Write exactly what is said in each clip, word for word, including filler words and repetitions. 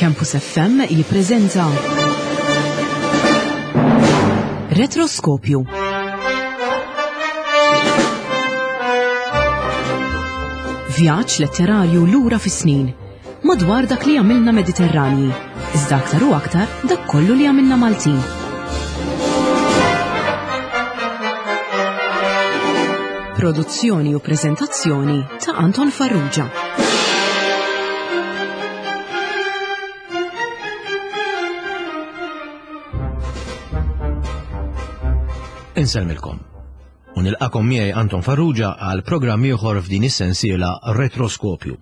Campus F M jippreżenta Retroskopju. Vjaġġ letterarju lura fis-snin, madwar dak li għamilna Mediterranji, iżda aktar u aktar dak kollu li għamilna Maltin. Produzzjoni u preżentazzjoni ta' Anton Farrugia. Insellmilkom. U nilqakom miegħi Anton Farrugia għal programm ieħor f'din is-sensiela Retroskopju.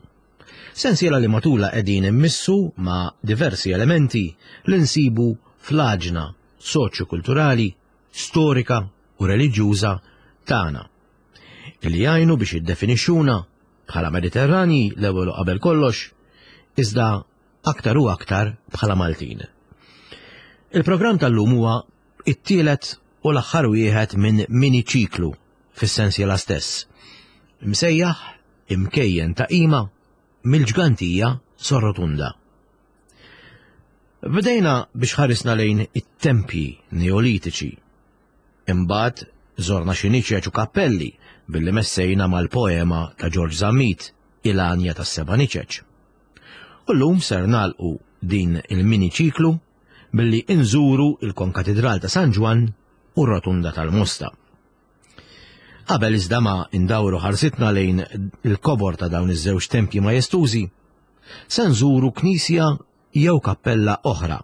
Sensiela li matula qegħdin immissu ma' diversi elementi li nsibu fl-aġna soċjokulturali, storika u reliġjuża tagħna, li jgħinu biex jiddefinixxuna bħala Mediterrani l-ewwel u qabel kollox, iżda aktar u aktar bħala Maltin. Il-programm tal-lum huwa it-tielet u l-aħħar wieħed minn mini-ċiklu fis-sensiela stess, msejjaħ imkejjen ta' qima mill-ġgantija Sorrotunda. Bdejna biex ħarisna lejn it-tempji neolitiċi. Imbagħad żorna xi niċeċ u kappelli billi messejna mal-poema ta' George Zammit, Il-Għanja tas-Seba' Niċeċ. U llum ser nagħlqu din il-mini-ċiklu billi inżuru il-Konkatedral ta' San Ġwann u r-Rotunda tal-Mosta. Qabel iżda ma indawru ħarsitna lejn il-kobor ta' dawn iż-żewġ tempji majestużi, se nżuru knisja jew kappella oħra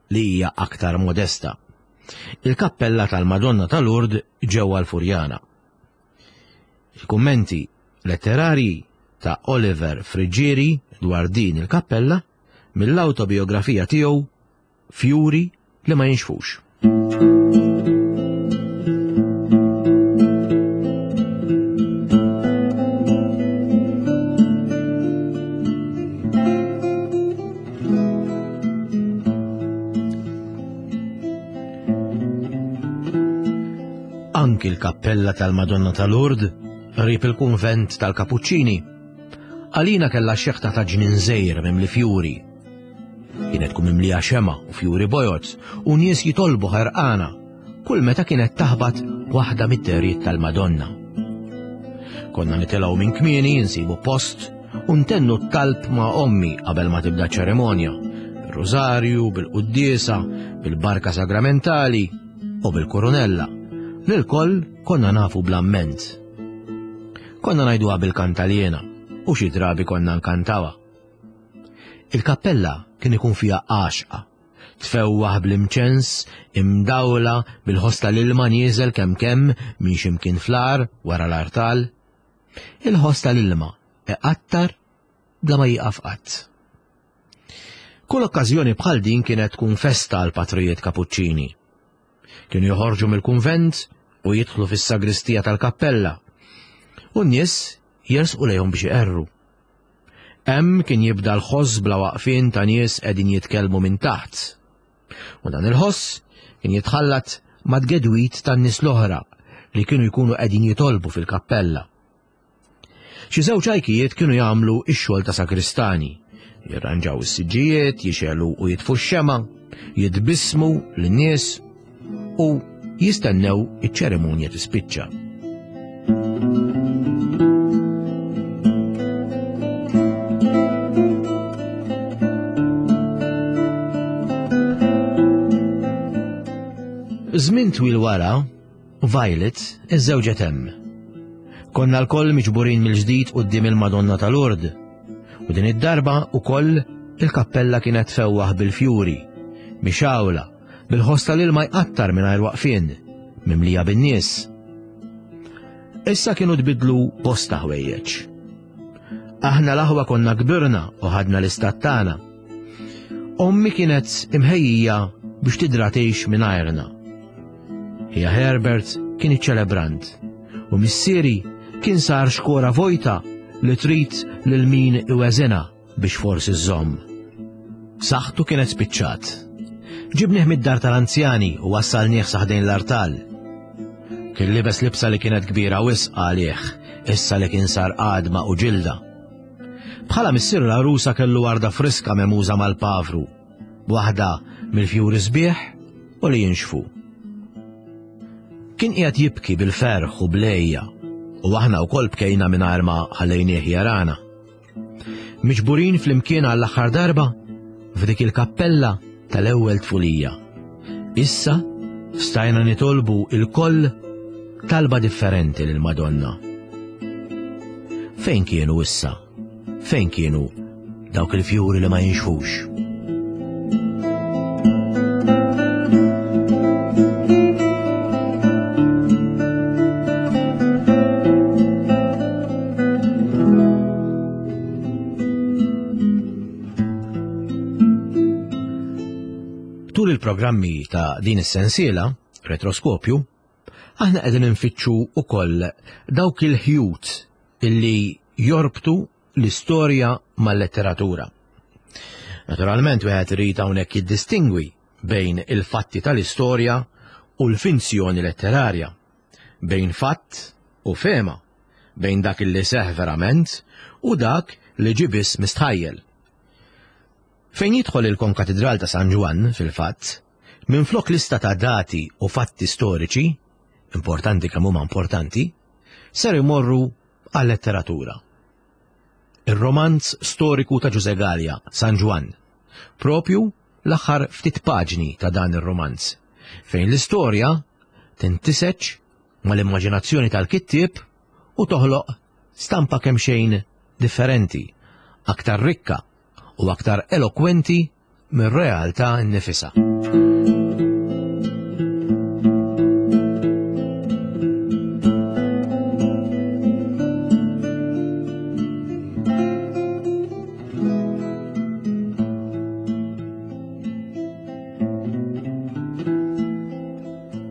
li hija aktar modesta, il-kappella tal-Madonna ta' Lourdes ġewwa l-Furjana. Il-kummenti letterarji ta' Oliver Friggieri dwar din il-kappella mill-autobiografija tiegħu Fjuri li ma jinxfux. Anki l-kappella tal-Madonna ta' Lourdes qrib il-kunvent tal-Kapuċċini għalina kellha xeħta ta' ġnien żgħir mimli fjuri. Kienet tkun mimlija xema u fjuri bojod u nies jitolbu ħerqana kull meta kienet taħbat waħda mid-derijiet tal-Madonna. Konna nitilgħu minn kmieni nsibu post u ntennu t-talb ma' ommi qabel ma tibda ċerimonja, bil-rużarju, bil-quddiesa, bil-barka sagramentali u bil-koronella. Lil-koll konna nafu bl-amment. Konna ngħiduha bil-kantaliena u xi drabi konna nkantawa. Il-kappella kien ikun fiha għaxqa, tfewwaħ bl-imċens, imdawla bil-ħoss tal-ilma nieżel kemm kemm minn x'imkien fl-għar wara l-artal. Il-ħoss tal-ilma iqattar bla ma jieqaf qatt. Kull okkażjoni bħal din kienet tkun festa għal patrijiet Kapuċċini. Kienu joħorġu mill-kunvent u jidħlu fis-sagristija tal-kappella u n-nies jersqu lejhom biex iqerru. Hemm kien jibda l-ħoss bla waqfien ta' nies qegħdin jitkellmu minn taħt. U dan il-ħoss kien jitħallat mad-gedwit tan-nies l-oħra li kienu jkunu qegħdin jitolbu fil-kappella. Xi żewġ għajkijiet kienu jagħmlu x-xogħol ta' sagristani, jirranġaw is-siġġijiet, jixegħlu u jitfu x-xema, jitbissmu lin-nies u jistennew iċ-ċerimonja tispiċċa. Żmien twil wara, Violet iżżewġet hemm. Konna lkoll miġburin mill-ġdid quddiem il-Madonna ta' Lourdes, u din id-darba ukoll il-kappella kienet fewwaħ bil-fjuri, mixawla, bil-ħoss tal-ilma jqattar mingħajr waqfien, mimlija bin-nies. Issa kienu tbidlu bosta ħwejjeġ. Aħna l-aħwa konna kbirna u ħadna l-istat tagħna. Ommi kienet imħejjija biex tidra tgħix mingħajrna. Hija Herbert kien iċ-ċelebrant u missieri kien sar xkora vojta li trid lil min iweżinha biex forsi żżomm. Saħħtu kienet spiċċat. Ġibnieh mid-dar tal-anzjani u wassalnieh sa ħdejn l-artal. Kien libes libsa li kienet kbira wisq għalih, issa li kien sar għadma u ġilda. Bħala missier l-għarusa kellu warda friska memuża mal-pavru Waħda mill-fjuri sbieħ u li jinxfu. Kien qiegħed jibki bil-ferħ u blejja u aħna wkoll bkejna mingħajr ma ħallejnieh jarana. Miġburin flimkien għall-aħħar darba f'dik il-kappella tal-ewwel tfulija. Issa stajna nitolbu il-koll talba differenti lil Madonna. Fejn kienu issa? Fejn kienu dawk il-fjuri li ma jinxfux? Tul il-programmi ta' din is-sensiela, Retroskopju, aħna qegħdin infittxu wkoll dawk il-ħjut illi jorbtu l-istorja mal-letteratura. Naturalment wieħed irid hawnhekk jiddistingwi bejn il-fatti tal-istorja u l-finzjoni letterarja, bejn fatt u fema, bejn dak li seħ verament u dak li ġie biss mistħajjel. Fejn jidħol il-Konkatidral ta' San Ġwann, fil-fatt, minflok lista ta' dati u fatti storiċi, importanti kemm huma importanti, ser imorru għal-letteratura. Ir-romanz storiku ta' Ġużè Galea, San Ġwann, propju l-aħħar ftit paġni ta' dan ir-romanz, fejn l-istorja tintiseġ mal-immaġinazzjoni tal-kittieb u toħloq stampa kemm xejn differenti, aktar rikka u aktar elokwenti mir-realtà nnifisha.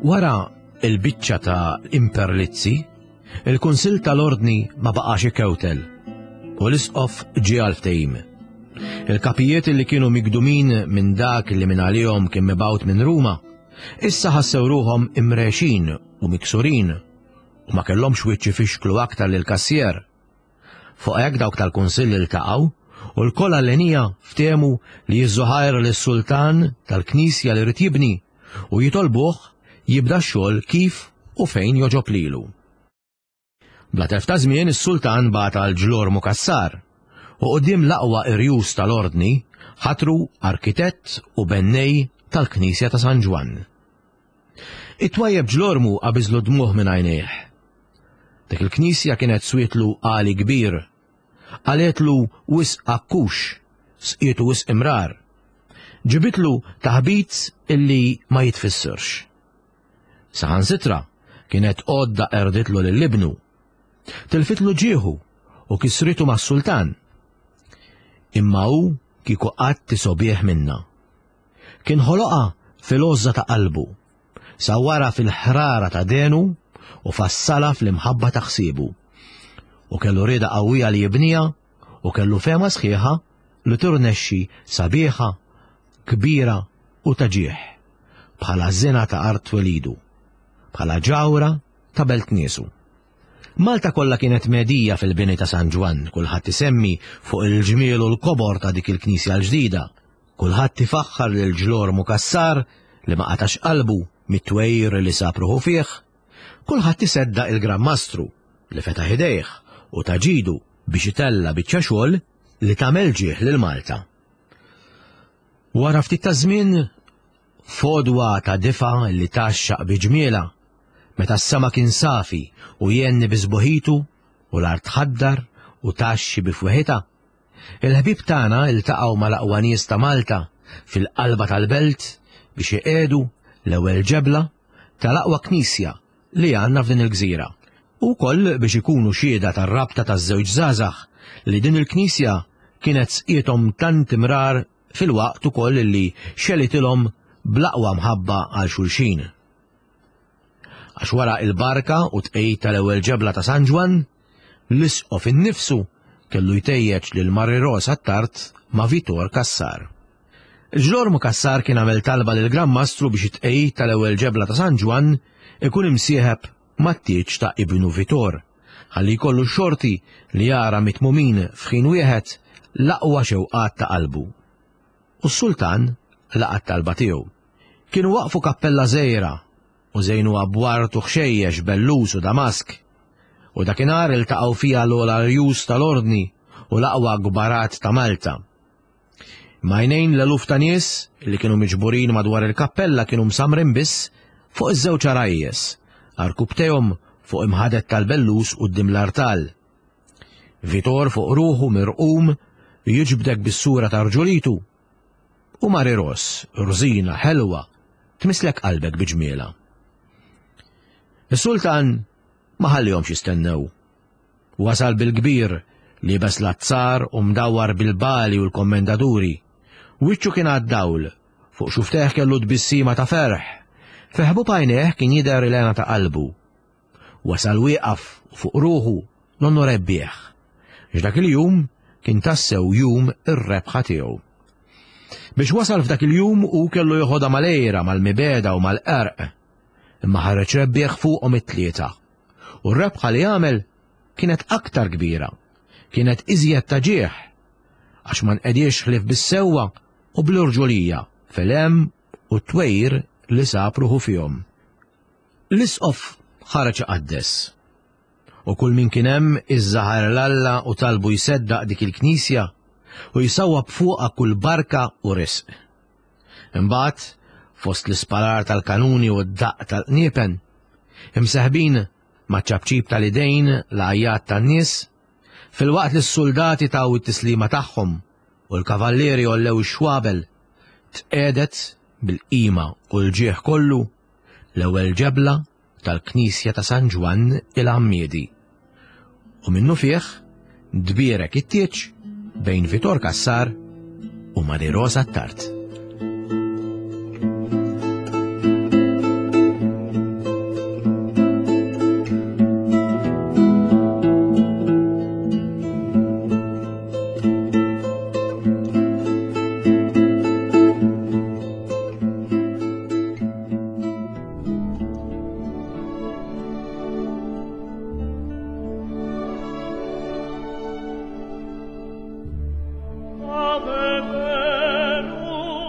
Wara il-biċċa ta' Imperlizzi, il-Kunsill tal-Ordni ma baqax ikewtel u l-Isqof ġie għal ftehim. Il-kapijiet li kienu migdumin minn dak li minn għalihom kien mibgħut minn Ruma, issa ħassew ruhom imrexin u miksurin u ma kellhomx wiċċ ifixklu aktar lil kassier. Fuq hekk dawk tal-Kunsill iltaqgħu u l-koll għallenija ftehmu li jiżżuħajr lis-sultan tal-knisja li rid jibni u jitolbuh jibda x-xogħol kif u fejn joġob lilu. Bla telf ta' żmien is-sultan bagħat għal Ġlormu Cassar u quddiem l-aqwa irjus tal-ordni ħatru arkitett u bennej tal-Knisja ta' San Ġwann. It-twajjeb Ġlormu qabiżlu dmuh minn għajnejh. Dik il-knisja kienet swietlu għali kbir, qaletlu wisq akkux, sqietu wisq imrar, ġibitlu taħbit illi ma jitfissirx. Saħansitra kienet għodda erditlu lil ibnu, tilfitlu ġieħu u kisritu mas-sultan. Imma hu kieku qatt isobih minna. Kien ħoloqha fil-għożża ta' qalbu, sawwara fil-ħrara ta' denu u fassala fl-imħabba ta' ħsiebu. U kellu rieda qawwija li jibniha u kellu fehma sħiħa li turnexxi sabiħa, kbira u ta' ġieħ, bħala żina ta' art twelidu, bħala ġawra ta' belt niesu. Malta kollha kienet medija fil-bini ta' San Ġwann, kulħadd isemmi fuq il-ġmiel u l-kobor ta' dik il-knisja l-ġdida. Kulħadd ifaħħar lil Ġlormu Cassar li ma qatax qalbu mit-twejr li sab ruħu fih. Kulħadd iseddaq il-Gran Mastru li fetaħ idejh u taġidu biex itella biċċa xogħol li tagħmel ġieħ lil Malta. Wara ftit ta' żmien, fodwa ta' difa li taxxaq bi ġmiela, meta s-sema kien safi u jenni bi sbuħitu u l-art ħaddar u taxxi bi fweħitha, il-ħbieb tagħna iltaqgħu mal-aqwa nies ta' Malta fil-qalba tal-belt biex iqiegħdu l-ewwel ġebla tal-aqwa knisja li għandna f'din il-gżira. U wkoll biex ikunu xhieda tar-rabta taż-żewġ żgħażagħ li din il-knisja kienet sqiethom tant imrar fil-waqt ukoll li xelitilhom bl-aqwa mħabba għal xulxin. Għax wara il-barka u tqejjid tal-ewwel ġebla ta' San Ġwann, l-isqof innifsu kellu jtejjeġ lil Mari Rosa Attard ma' Vitor Cassar. Ġlormu Cassar kien għamel talba lil Gran Mastru biex it-tqejjid tal-ewwel ġebla ta' San Ġwann ikun imsieħeb mat-tieġ ta' ibnu Vitor, ħalli jkollu xorti li jara mitmumin f'ħin wieħed l-aqwa xewqat ta' qalbu. U s-sultan laqa' t-talba tiegħu. Kienu waqfu kappella żgħira u żejnuha b'ward u ħxejjex bellus u damask. U dakinhar iltaqgħu fiha l-ogħla rjus tal-Ordni u l-aqwa kbarat ta' Malta. M'għajnejn l-eluf ta' nies li kienu miġburin madwar il-kappella kienu msammrin biss fuq iż-żewġ għarajjes, għarkupptejhom fuq imħadet tal-bellus quddiem l-artal. Vitor fuq ruħu mirqum jiġbdek bis-sura ta' rġulitu u Mari Ros, rżina, ħelwa, tmisslek qalbek bi ġmielha. Is-sultan ma ħallihomx jistennew. Wasal bil-kbir, liebes l-azzar u mdawwar bil-bali u l-kommendaturi. Wiċċu kien għad-dawl, fuq xufftejh kellu tbissima ta' ferħ. Fi ħbub għajnejh kien jidher il-hena ta' qalbu. Wasal wieqaf u fuq ruħu nonnu rebbieħ. Għax dak il-jum kien tassew jum ir-rebħa tiegħu. Biex wasal f'dak il-jum u kellu joħodha mal-għira, mal-mibegħda u mal-qerq. Imma ħareġ rebbieħ fuqhom it-tlieta. U r-rebħa li għamel kienet aktar kbira, kienet iżjed ta' ġieħ, għax ma nqediex ħlief bis-sewwa u bl-irġulija fil-hemm u t-twejr li sab ruħu fihom. L-isqof ħareġ iqaddes. U kull min kien hemm iżżaħar 'l Alla u talbu jseddaq dik il-knisja u jsawwab fuqha kull barka u risq. Imbagħad, fost l-isparar tal-kanuni u d-daqq tal-qniepen, imseħbin maċ-ċapċip tal-idejn l-għajjat tan-nies, filwaqt li s-suldati taw it-tislima tagħhom u l-kavallieri għollew ix-xwabel, tqiegħdet bil-qima u l-ġieħ kollu l-ewwel ġebla tal-Knisja ta' San Ġwann il-Għammiedi. U minnufih tbierek it-tieġ bejn Vitor Cassar u Mari Rosa Attard. Ave Venus.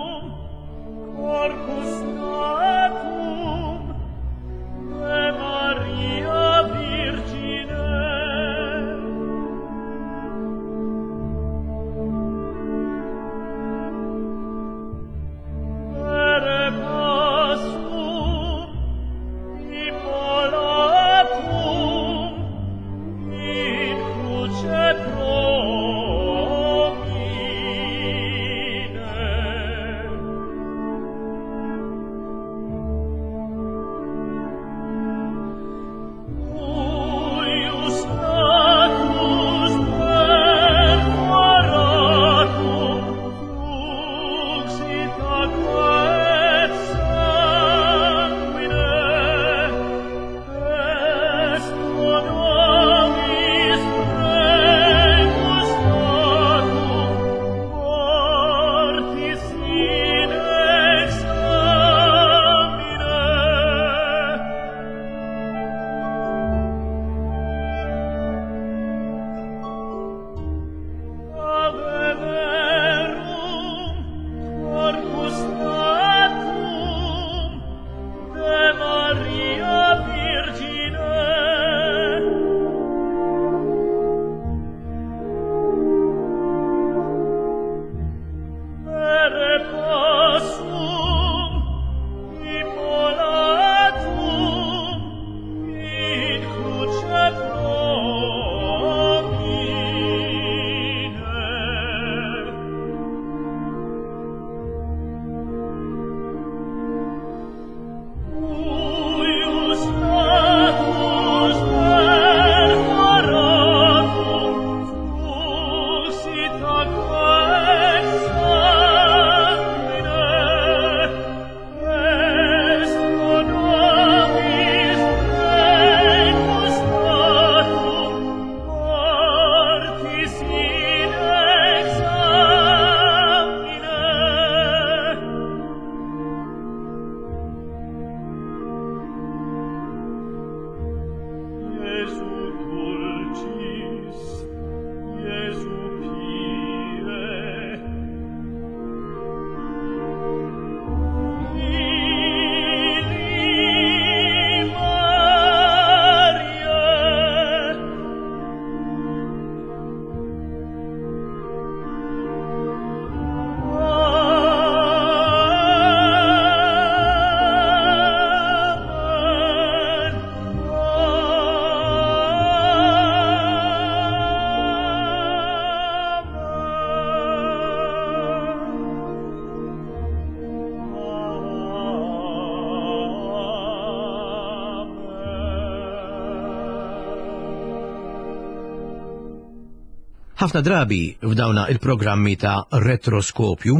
Ħafna drabi f'dawna il-programmi ta' retroskopju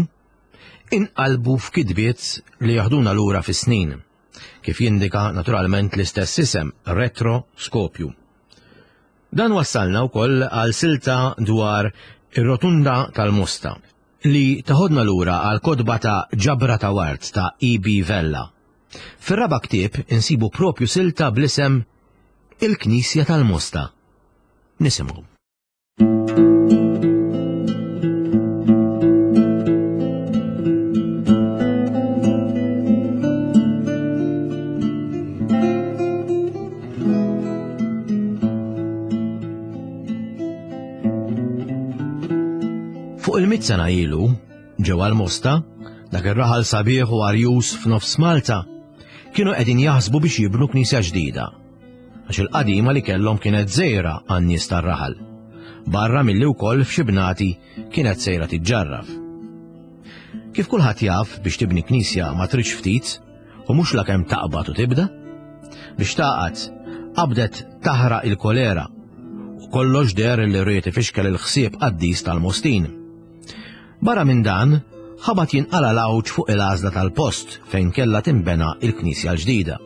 inqalbu f'kitbiet li jaħduna lura fis-snin, kif jindika naturalment l-istess isem, retroskopju. Dan wassalna wkoll għal silta dwar ir-rotunda tal-Mosta, li taħodna lura għal kotba ta' Ġabra ta' Ward ta' E B Vella. Fir-raba' ktieb insibu propju silta bl-isem Il-Knisja tal-Mosta. Nisimgħu. Fuq il-mitt sena ilu, ġewwa l-Mosta, dak ir-raħal sabiħ u arjus f'nofs Malta, kienu qegħdin jaħsbu biex jibnu knisja ġdida, għax il-qadima li kellhom kienet żgħira għan-nies tar-raħal, barra milli wkoll f'xi bnati kienet sejra tiġġarraf. Kif kulħadd jaf, biex tibni knisja ma tridx ftit, u mhux lakemm taqbad u tibda. Biex taqgħad, qabdet taħraq il-kolera, u kollox deher li ried ifixkel il-ħsieb qaddis tal-Mostin. Barra minn dan, ħabat jinqala l-għawġ fuq il-għażla tal-post fejn kellha tinbena il-knisja l-ġdida.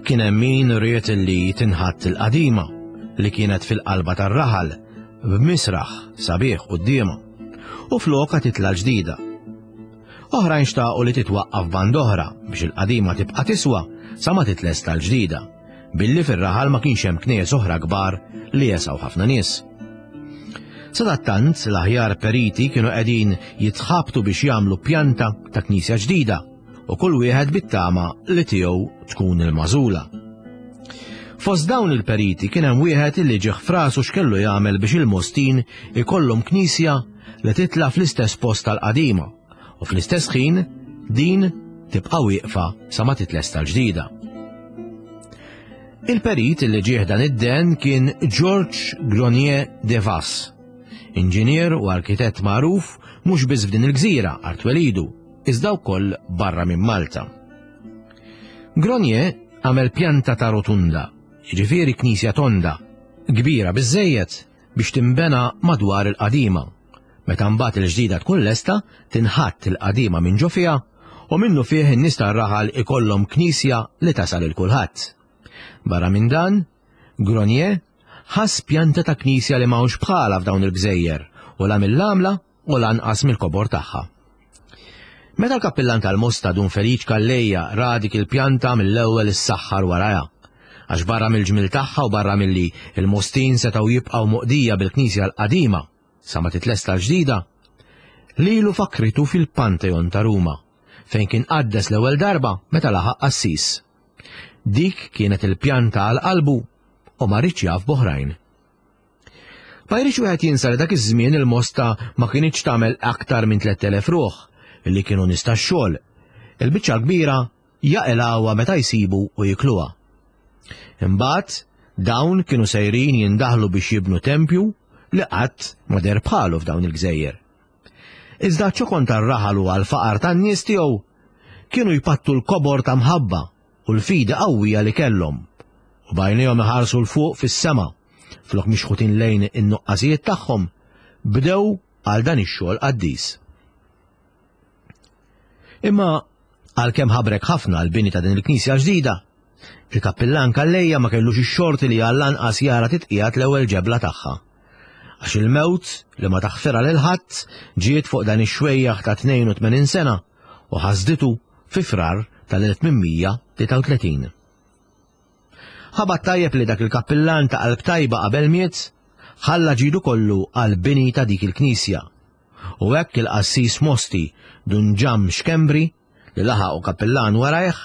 Kien hemm min ried li tinħatt il-qadima li kienet fil-qalba tar-raħal b'misraħ sabiħ quddiemha u floka titla' l-ġdida. Oħrajn xtaqu li titwaqqaf band oħra biex il-qadima tibqa' tiswa sa ma titlesta l-ġdida, billi fir-raħal ma kienx hemm knies oħra kbar li jesgħu ħafna nies. Sadattant l-aħjar periti kienu qegħdin jitħabtu biex jagħmlu pjanta ta' knisja ġdida u kull wieħed bit-tama li tiegħu tkun il-magħżula. Fost dawn il-periti kien hemm wieħed li ġieħ frasu x'kellu jagħmel biex il-Mostin ikollhom knisja li titla' fl-istess post tal-qadima u fl-istess ħin din tibqa' wieqfa sa ma titlesta l-ġdida. Il-perit li ġieħ dan id-den kien George Gronier de Vass, inġinier u arkitett magħruf mhux biss f'din il-gżira art twelidu, iżda wkoll barra minn Malta. Gronier għamel pjanta ta' rotunda, jiġifieri knisja tonda, kbira biżżejjed biex tinbena madwar il-qadima. Meta mbagħad il-ġdida tkun lesta, tinħatt il-qadima minn ġo fiha u minnu fih in-nies tar-raħal ikollhom knisja li tasal il kulħadd. Barra minn dan, Gronier ħass pjanta ta' knisja li m'hawnx bħala f'dawn il-gżejjer u la mill-għamla u lanqas mill-kobor tagħha. Meta l-kappillan tal-Mosta Dun Feliċ Calleja ra dik il-pjanta mill-ewwel issaħħar warajha, għax barra mill-ġmil tagħha u barra milli il-Mostin setgħu jibqgħu moqdija bil-knisja l-qadima sa ma titlesta l-ġdida, lilu fakritu fil-Pantheon ta' Ruma, fejn kien qaddes l-ewwel darba meta laħaq qassis. Dik kienet il-pjanta għal qalbu u ma rridx jaf b'oħrajn. Ma jridx wieħed jinsa li dak iż-żmien il-Mosta ma kinitx tagħmel aktar minn tliet elef ruħ li kienu nies tax-xogħol. Il-biċċa kbira jaqilgħuha meta jsibu u jikluha. Imbagħad dawn kienu sejrin jindaħlu biex jibnu tempju li qatt ma deher bħalu f'dawn il-gżejjer. Iżda ċokon tar-raħal u għall-faqar tan-nies tiegħu kienu jpattu l-kobor ta' mħabba u l-fidi qawwija li kellhom, u bajnejhom iħarsu l fuq fis-sema, flok mixħutin lejn in-nuqqasijiet tagħhom, bdew għal dan ix-xogħol qaddis. Imma għalkemm ħabrek ħafna l-bini ta' din il-knisja ġdida, il-kappillan Calleja ma kellux ix-xorti li għall-anqas jara titqiegħed l-ewwel ġebla tagħha. Għax il-mewt li ma taħfirha lil ħadd ġiet fuq dan ix-xwejjaħ ta' tnejn u tmenin sena u ħasditu fi Frar tal-elf tmien mija tlieta u tletin. Ħabat tajjeb li dak il-kappillan ta' qalb tajba qabel miet, ħalla ġidu kollu għal bini ta' dik il-knisja. U hekk il-qassis Mosti Dun Ġam Xkembri, li laħaq u kappillan warajh,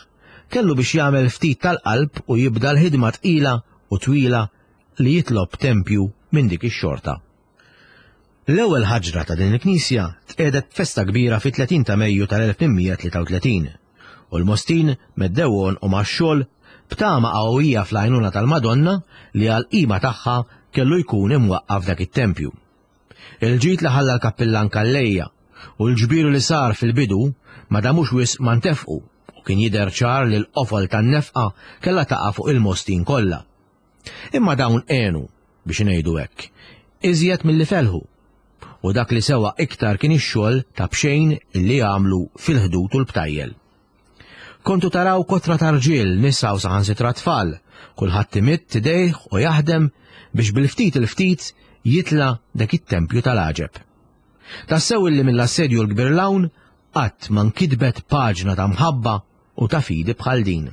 kellu biex jagħmel ftit tal-qalb u jibda l-ħidma tqila u twila li jitlob tempju minn dik ix-xorta. L-ewwel ħaġra ta' din il-knisja tqiegħdet festa kbira fit-tletin ta' Mejju tal-elf tmien mija tlieta u tletin, u l-Mostin meddew għonqhom għax-xogħol b'tama qawwija fl-għajnuna tal-Madonna li għall-qima tagħha kellu jkun imwaqqaf dak it-tempju. Il-ġid li ħalla l-kappillan Calleja u l-ġbiru li sar fil-bidu ma damux wisq ma ntefqu u kien jidher ċar li l-qofol tan-nefqa kellha taqa' fuq il-Mostin kollha. Imma dawn għenu biex ngħidu hekk. iżjed milli felħu. U dak li sewa iktar kien ix-xogħol ta' b'xejn li għamlu fil-ħdud u l-btajjel. Kontu taraw kotra ta' rġiel, nisa u saħansitra tfal, kulħadd imidd idejh u jaħdem biex bil-ftit il-ftit jitla' dak it-tempju tal-għaġeb. Tassew illi mill-assedju l-kbir 'l hawn qatt ma nkitbet paġna ta' mħabba u ta' fidi bħal din.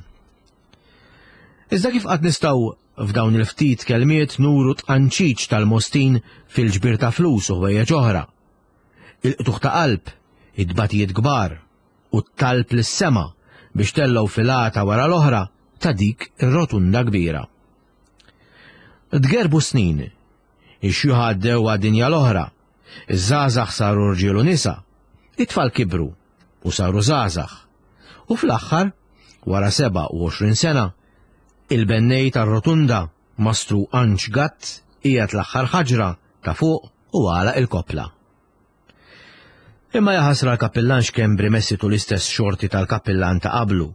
Iżda kif qatt nistgħu f'dawn il-ftit kelmiet nuru tqanċiċ tal-Mostin fil-ġbir ta' flus u ħwejjeġ oħra? Il-qtugħ ta' qalb, it-tbatijiet kbar u t-talb lis-sema biex tellgħu filata wara l-oħra ta' dik ir-rotunda kbira. Tgerbu snin, ix-xjuħ għaddew għad-dinja l-oħra, iż-żgħażagħ saru rġiel u nisa, it-tfal kibru u saru żgħażagħ. U fl-aħħar, wara sebgħa u għoxrin sena, il-bennej tar-rotunda, Mastru Anġ Gatt, qiegħed l-aħħar ħaġra ta' fuq u għalaq il-koppla. Imma jaħasra l-kappillan Xkembri messitu l-istess xorti tal-kappillan ta' qablu,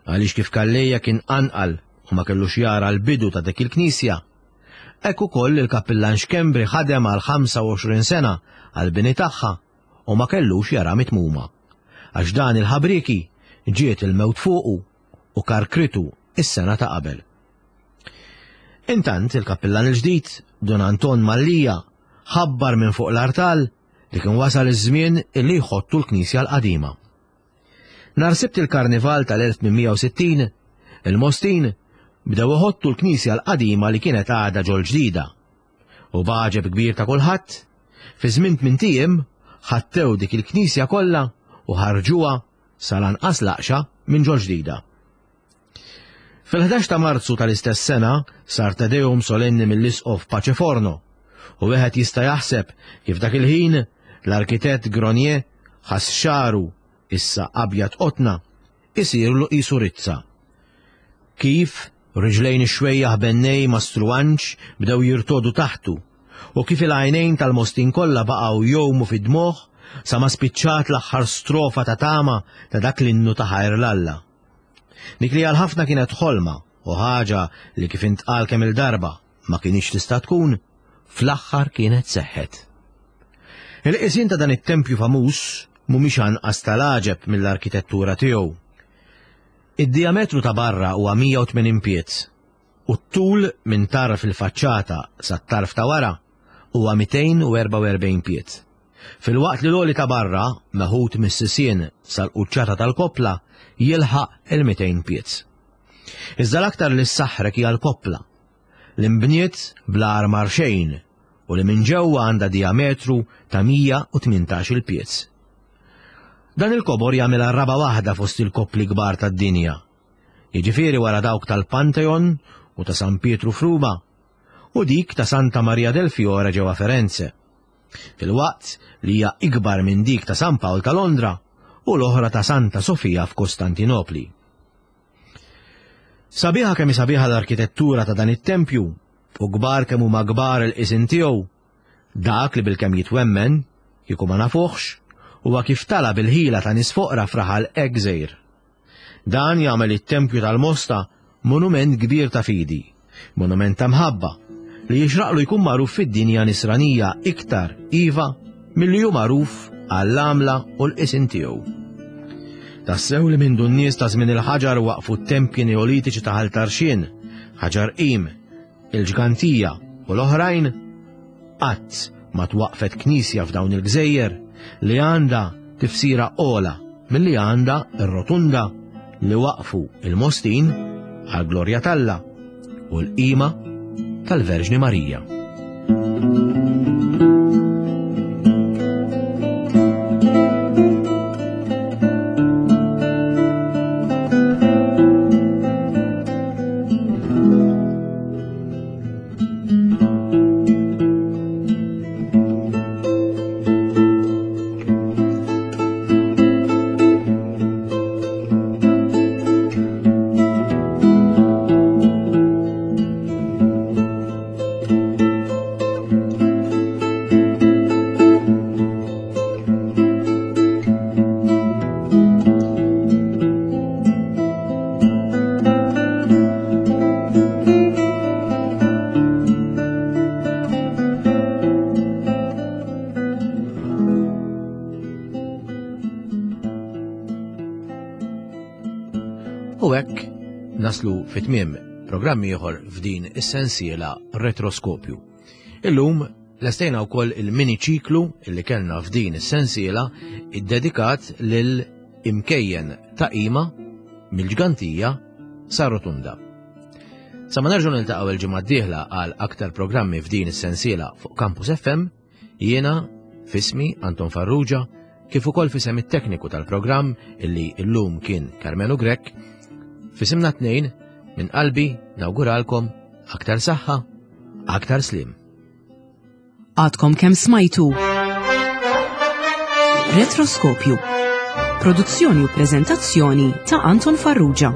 għaliex kif Calleja kien anqal u ma kellux jara l-bidu ta' dik il-knisja, hekk ukoll il-kappillan Xkembri ħadem għal ħamsa u għoxrin sena għall-bini tagħha u ma kellux jara mitmuma, għax dan il-ħabrieki ġiet il-mewt fuqu u karkritu is-sena ta' qabel. Intant il-kappillan il-ġdid, Dun Anton Mallia, ħabbar minn fuq l-artal li kien wasal iż-żmien illi jħottu l-knisja l-qadima. Nhar Sibt il-Karnival tal-elf tmien mija u sittin, il-Mostin bdew iħottu l-knisja l-qadima li kienet għadha ġol-ġdida. U b'għaġeb kbir ta' kulħadd, fi żmien tmien ijiem ħattew dik il-knisja kollha u ħarġuha sal-anqas laqxa minn ġol-ġdida. Fil-ħdax ta' Marzu tal-istess sena sar Te Deum solenni mill-Isqof Paceforno u wieħed jista' jaħseb kif dak il-ħin l-arkitett Gronier ħass xagħru issa abjad qotna isirlu qisu rizza. Kif riġlejn ix-xwejjaħ bennej Mastru Anġ bdew jirtodu taħtu u kif il-għajnejn tal-Mostin kollha baqgħu jgħumu fid-dmugħ sa ma spiċċat l-aħħar strofa ta' tama ta' dak l-innu ta' ħajr l-Alla. Dik li għal ħafna kienet ħolma u ħaġa li kif intqal kemm il-darba ma kienx tista' tkun, fl-aħħar kienet seħħet. Il-qisien ta' dan it-tempju famuż mhumiex anqas tal-għaġeb mill-arkitettura tiegħu. Id-diametru ta' barra huwa mija u tmenin pied u t-tul minn tarf il-faċċata sat-tarf ta' wara huwa mitejn u erbgħa u erbgħin pied. Fil-waqt li l-għoli ta' barra, meħud mis-sisien sal-quċċata tal-koppla, jilħaq il-mitejn pied. Iżda l-aktar li ssaħħrek hija l-koppla, li nbniet bla armar xejn u li minn ġewwa għandha diametru ta' mija u tmintax il-pied. Dan il-kobor jagħmilha raba' waħda fost il-koppli kbar tad-dinja, jiġifieri wara dawk tal-Pantheon u ta' San Pietru f'Ruma u dik ta' Santa Maria del Fiore ġewwa Firenze, fil-waqt li hija ikbar minn dik ta' San Pawl ta' Londra u l-oħra ta' Santa Sofia f'Kostantinopli. Sabiħa kemm sabiħa l-arkitettura ta' dan it-tempju u kbar kemm huma kbar il-qisien tiegħu, dak li bilkemm jitwemmen, kieku ma nafuħx, huwa kif tala bil-ħila ta' nies foqra f'raħal hekk żgħir. Dan jagħmel it-tempju tal-Mosta monument kbir ta' fidi, monument ta' mħabba, li jixraqlu jkun magħruf fid-dinja nisranija iktar iva milli hu magħruf għall-għamla u l-qisien tiegħu. Tassew li mindu n-nies ta' żmien il-ħaġar waqfu t-tempji neolitiċi ta' Ħal Tarxien, Ħaġar Qim, il-Ġgantija u l-oħrajn, qatt ma twaqfet knisja f'dawn il-gżejjer li għandha tifsira ola milli għandha r-rotunda li waqfu il-Mostin għall-glorja t'Alla u l-qima tal-Verġni Marija. Naslu fit-tmiem programm ieħor f'din is-sensiela Retroskopju. Illum lestejna wkoll il-mini ċiklu illi kellna f'din is-sensiela iddedikat lil imkejjen ta' qima mill-Ġgantija sa Rotunda. Sa ma nerġgħu niltaqgħu il-ġimgħa d-dieħla għal aktar programmi f'din is-sensiela fuq Campus F M, jiena f'ismi Anton Farrugia, kif ukoll f'isem it-tekniku tal-programm illi illum kien Carmelo Grech, f'isimna tnejn minn qalbi nawguralkom aktar saħħa, aktar slim. Għadkom kemm smajtu Retroskopju. Produzzjoni u prezentazzjoni ta' Anton Farrugia.